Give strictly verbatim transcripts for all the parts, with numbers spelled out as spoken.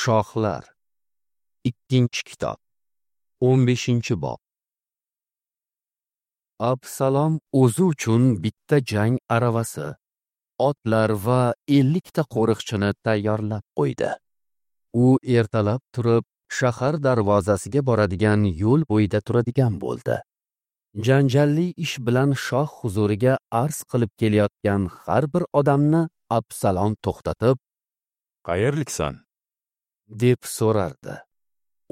Shohlar. Ikkinchi kitob. o'n beshinchi bob. Absalom o'zi uchun bitta jang aravasi, otlar va ellikta qo'riqchini tayyorlab qo'ydi. U ertalab turib, shahar darvozasiga boradigan yo'l bo'yida turadigan bo'ldi. Janjalli ish bilan shoh huzuriga arz qilib kelayotgan har bir odamni Absalom to'xtatib, "Qayerliksan?" deb so'rardi.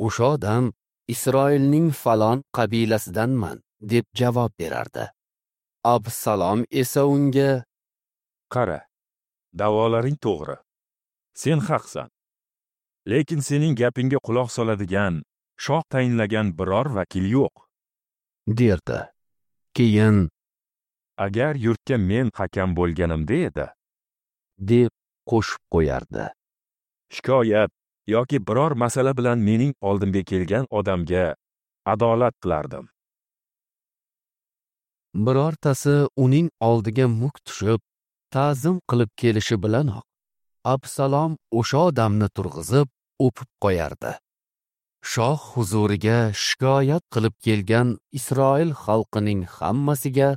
O'sha odam Isroilning falon qabilasidanman deb javob berardi. Absalom esa unga, "Qara, da'volaring to'g'ri. Sen haqsan. Lekin sening gapingga quloq soladigan, shoh tayinlagan biror vakil yo'q," derdi. Keyin, "Agar yurtga men hakam bo'lganimda edi," deb qo'shib qo'yardi. "Shikoyat yoki biror masala bilan mening oldimga kelgan odamga adolat qilardim." Birortasi uning oldiga muk tushib, ta'zim qilib kelishi bilanoq Absalom o'sha odamni turg'izib, o'pib qo'yardi. Shoh huzuriga shikoyat qilib kelgan Isroil xalqining hammasiga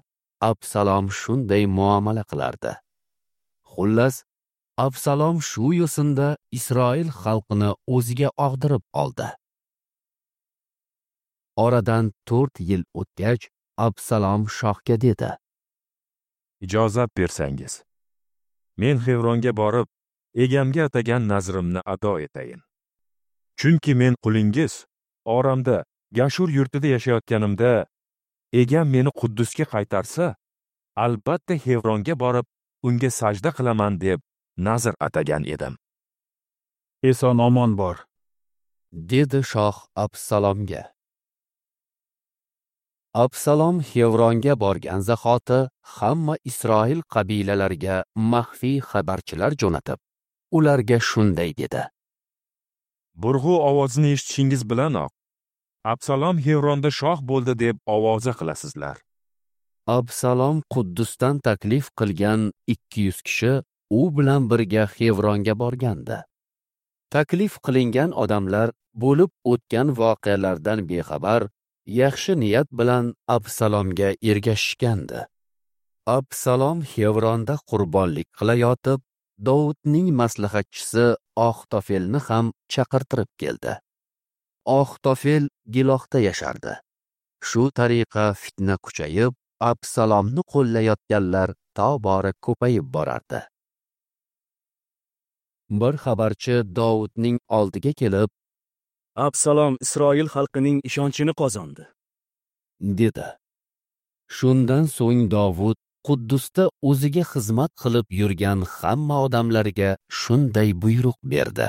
Absalom shunday muomala qilardi. Xullas, Absalom shu yo'sinda Isroil xalqini o'ziga og'dirib oldi. Oradan to'rt yil o'tgach, Absalom shohga dedi: "Ijozat bersangiz, men Xevronga borib, egamga atagan nazrimni ado etayin. Chunki men qulingiz Oramda, Gashur yurtida yashayotganimda, egam meni Quddusga qaytarsa, albatta Xevronga borib, unga sajda qilaman deb nazr atagan edim." "Eson omon bor," dedi shoh Absalomga. Absalom Xevronga borgan zahoti hamma Isroil qabilalariga maxfiy xabarchilar jo'natib, ularga shunday dedi: "Burg'u ovozini eshitishingiz bilanoq, Absalom Xevronda shoh bo'ldi deb ovoza qilasizlar." Absalom Quddusdan taklif qilgan ikki yuz kishi u bilan birga Xevronga borgandi. Taklif qilingan odamlar bo'lib o'tgan voqealardan bexabar, yaxshi niyat bilan Absalomga ergashishgandi. Absalom Xevronda qurbonlik qilayotib, Dovudning maslahatchisi Oxtofelni ham chaqirtirib keldi. Oxtofel Gilohda yashardi. Shu tariqa fitna kuchayib, Absalomni qo'llayotganlar tobora ko'payib borardi. Bir xabarchi Dovudning oldiga kelib, "Absalom Isroil xalqining ishonchini qozondi," dedi. Shundan so'ng Dovud Quddusda o'ziga xizmat qilib yurgan hamma odamlarga shunday buyruq berdi: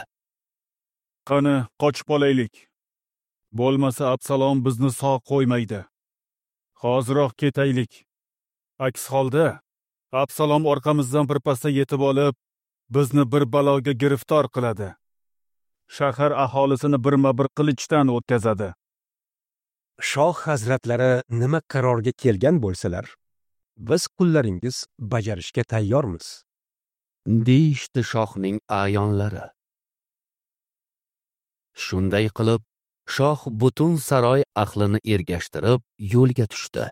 "Qani, qochib olaylik. Bo'lmasa Absalom bizni sog' qo'ymaydi. Hoziroq ketaylik. Aks holda Absalom orqamizdan birpasda yetib olib, bizni bir baloga giriftor qiladi. Shahar aholisini birma-bir qilichdan o'tkazadi." Shoh hazratlari nima qarorga kelgan bo'lsalar, biz qullaringiz bajarishga tayyormiz, deyishdi shohning a'yonlari. Shunday qilib, shoh butun saroy ahlini ergashtirib yo'lga tushdi.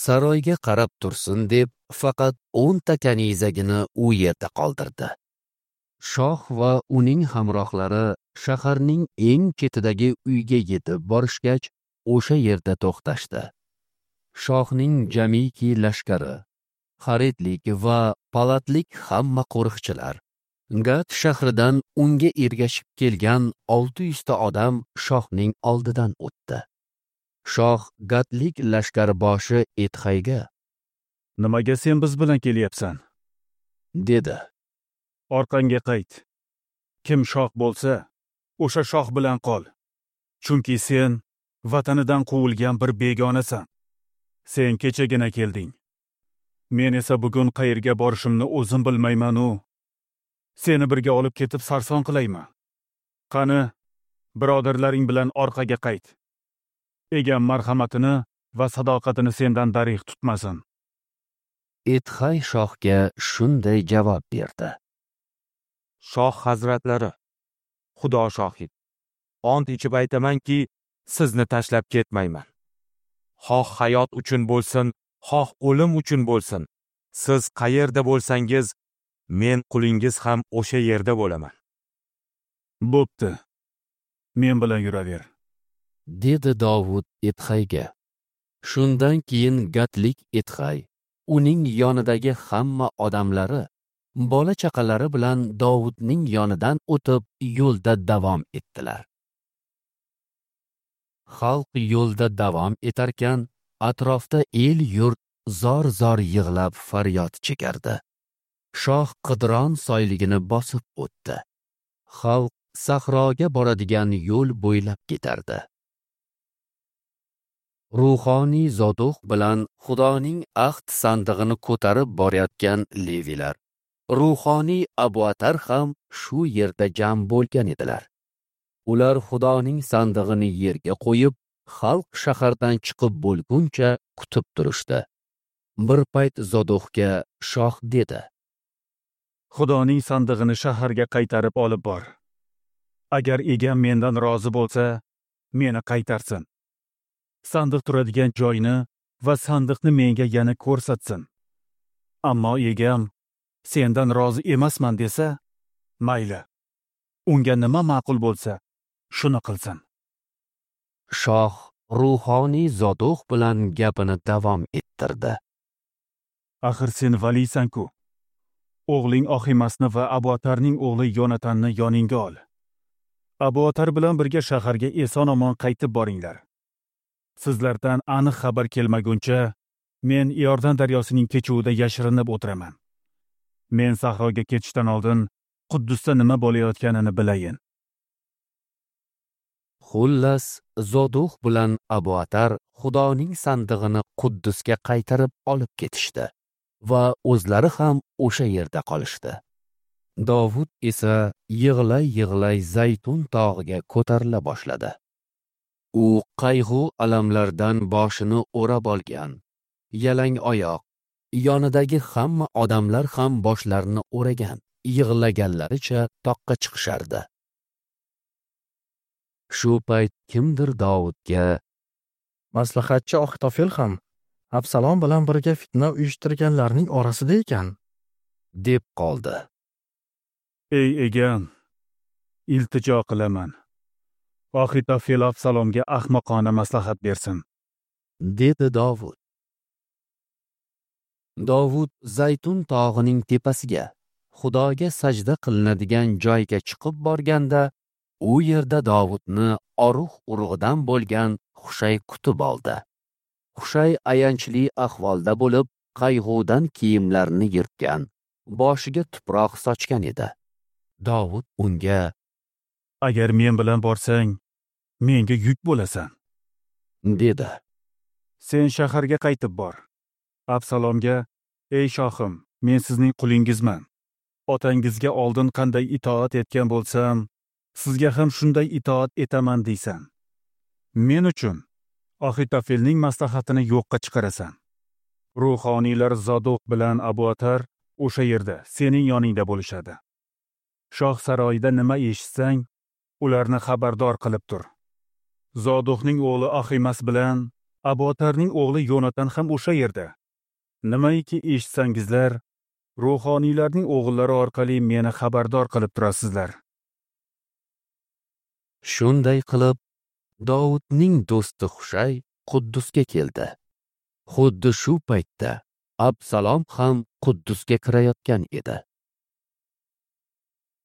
Saroyga qarab tursin deb faqat o'nta kanizagini u yerda qoldirdi. Shoh va uning hamrohlari shaharning eng chetidagi uyga yetib borishgach, o'sha yerda to'xtashdi. Shohning jamiki lashkari, Xaritlik va Palatlik hamma qo'riqchilar, Gat shahridan unga ergashib kelgan olti yuzta odam shohning oldidan o'tdi. Shoh Gatlik lashkarboshi Etxayga: "Nimaga sen biz bilan kelyapsan?" dedi. "Orqangga qayt. Kim shoh bo'lsa, o'sha shoh bilan qol. Chunki sen vatanidan quvilgan bir begonasan. Sen kechagina kelding. Men esa bugun qayerga borishimni o'zim bilmayman-u. Seni birga olib ketib sarson qilaymi? Qani, birodarlaring bilan orqaga qayt. Egam marhamatini va sadoqatini sendan darig' tutmasin." Etxay shohga shunday javob berdi: "Shoh hazratlari, Xudo shohid. Ont ichib aytamanki, sizni tashlab ketmayman. Xoh hayot uchun bo'lsin, xoh o'lim uchun bo'lsin. Siz qayerda bo'lsangiz, men qulingiz ham o'sha yerda bo'laman. Bo'pti. Men bilan yuraver, dedi Dovud Itxayga. Shundan keyin gatlik Itxay, uning yonidagi hamma odamlari, bola chaqalari bilan Dovudning yonidan o'tib yo'lda davom etdilar. Xalq yo'lda davom etarkan, atrofda el-yurt zor-zor yig'lab faryod chekardi. Shoh Qidron soyligini bosib o'tdi. Xalq sahroga boradigan yo'l bo'ylab ketardi. Ruhoniy Zodoq bilan Xudoning ahd sandig'ini ko'tarib borayotgan levilar, ruhoniy Abuatar ham shu yerda jam bo'lgan edilar. Ular Xudoning sandig'ini yerga qo'yib, xalq shahardan chiqib bo'lguncha kutib turishdi. Bir payt Zodoqga shoh dedi: Xudoning sandig'ini shaharga qaytarib olib bor. Agar egam mendan rozi bo'lsa, meni qaytarsin. Sandiq turadigan joyni va sandiqni menga yana ko'rsatsin. Ammo egam sendan rozi emasman desa, mayli. Unga nima ma'qul bo'lsa, shuni qilsin. Shoh ruhoniy Zodoq bilan gapini davom ettirdi. Axir sen valiysan-ku. O'g'ling Oximasni va Abuatarning o'g'li Yonatanni yoningga ol. Abuatar bilan birga shaharga eson-omon qaytib boringlar. Sizlardan aniq xabar kelmaguncha men Iordan daryosining kechuvida yashirinib o'tiraman. Men sahroga ketishdan oldin Quddusda nima bo'layotganini bilayin. Xullas, Zodoq bilan Abuatar Xudoning sandig'ini Quddusga qaytarib olib ketishdi va o'zlari ham o'sha yerda qolishdi. Dovud esa yig'lay-yig'lay Zaytun tog'iga ko'tarila boshladi. U qayg'u alamlardan boshini o'rab olgan, yalang oyoq, yonidagi hamma odamlar ham boshlarini o'ragan, yig'laganlaricha toqqa chiqishardi. Shu payt kimdir Dovudga: Maslahatchi Axitofel ham Absalom bilan birga fitna uyushtirganlarning orasida ekan, deb qoldi. Ey egam, iltijo qilaman. Axitofel Absalomga ahmoqona maslahat bersin, dedi Dovud. Dovud Zaytun tog'ining tepasiga, Xudoga sajda qilinadigan joyga chiqib borganda, u yerda Dovudni Oruh urug'idan bo'lgan Xushay kutib oldi. Xushay ayanchli ahvolda bo'lib, qayg'udan kiyimlarini yirtgan, boshiga tuproq sochgan edi. Dovud unga: Agar men bilan borsang, menga yuk bo'lasan, dedi. Sen shaharga qaytib bor. Absalomga: Ey shohim, men sizning qulingizman. Otangizga oldin qanday itoat etgan bo'lsam, sizga ham shunday itoat etaman deysan. Men uchun Axitofelning maslahatini yo'qqa chiqarasan. Ruhoniylar Zodoq bilan Abuatar o'sha yerda sening yoningda bo'lishadi. Shoh saroyida nima eshitsang, ularni xabardor qilib tur. Zodoqning o'g'li Aximas bilan Abuatarning o'g'li Yonatan ham o'sha yerda. Nimaiki eshitsangizlar, ruhoniylarning o'g'illari orqali meni xabardor qilib turasizlar. Shunday qilib, Dovudning do'sti Xushay Quddusga keldi. Xuddi shu paytda Absalom ham Quddusga kirayotgan edi.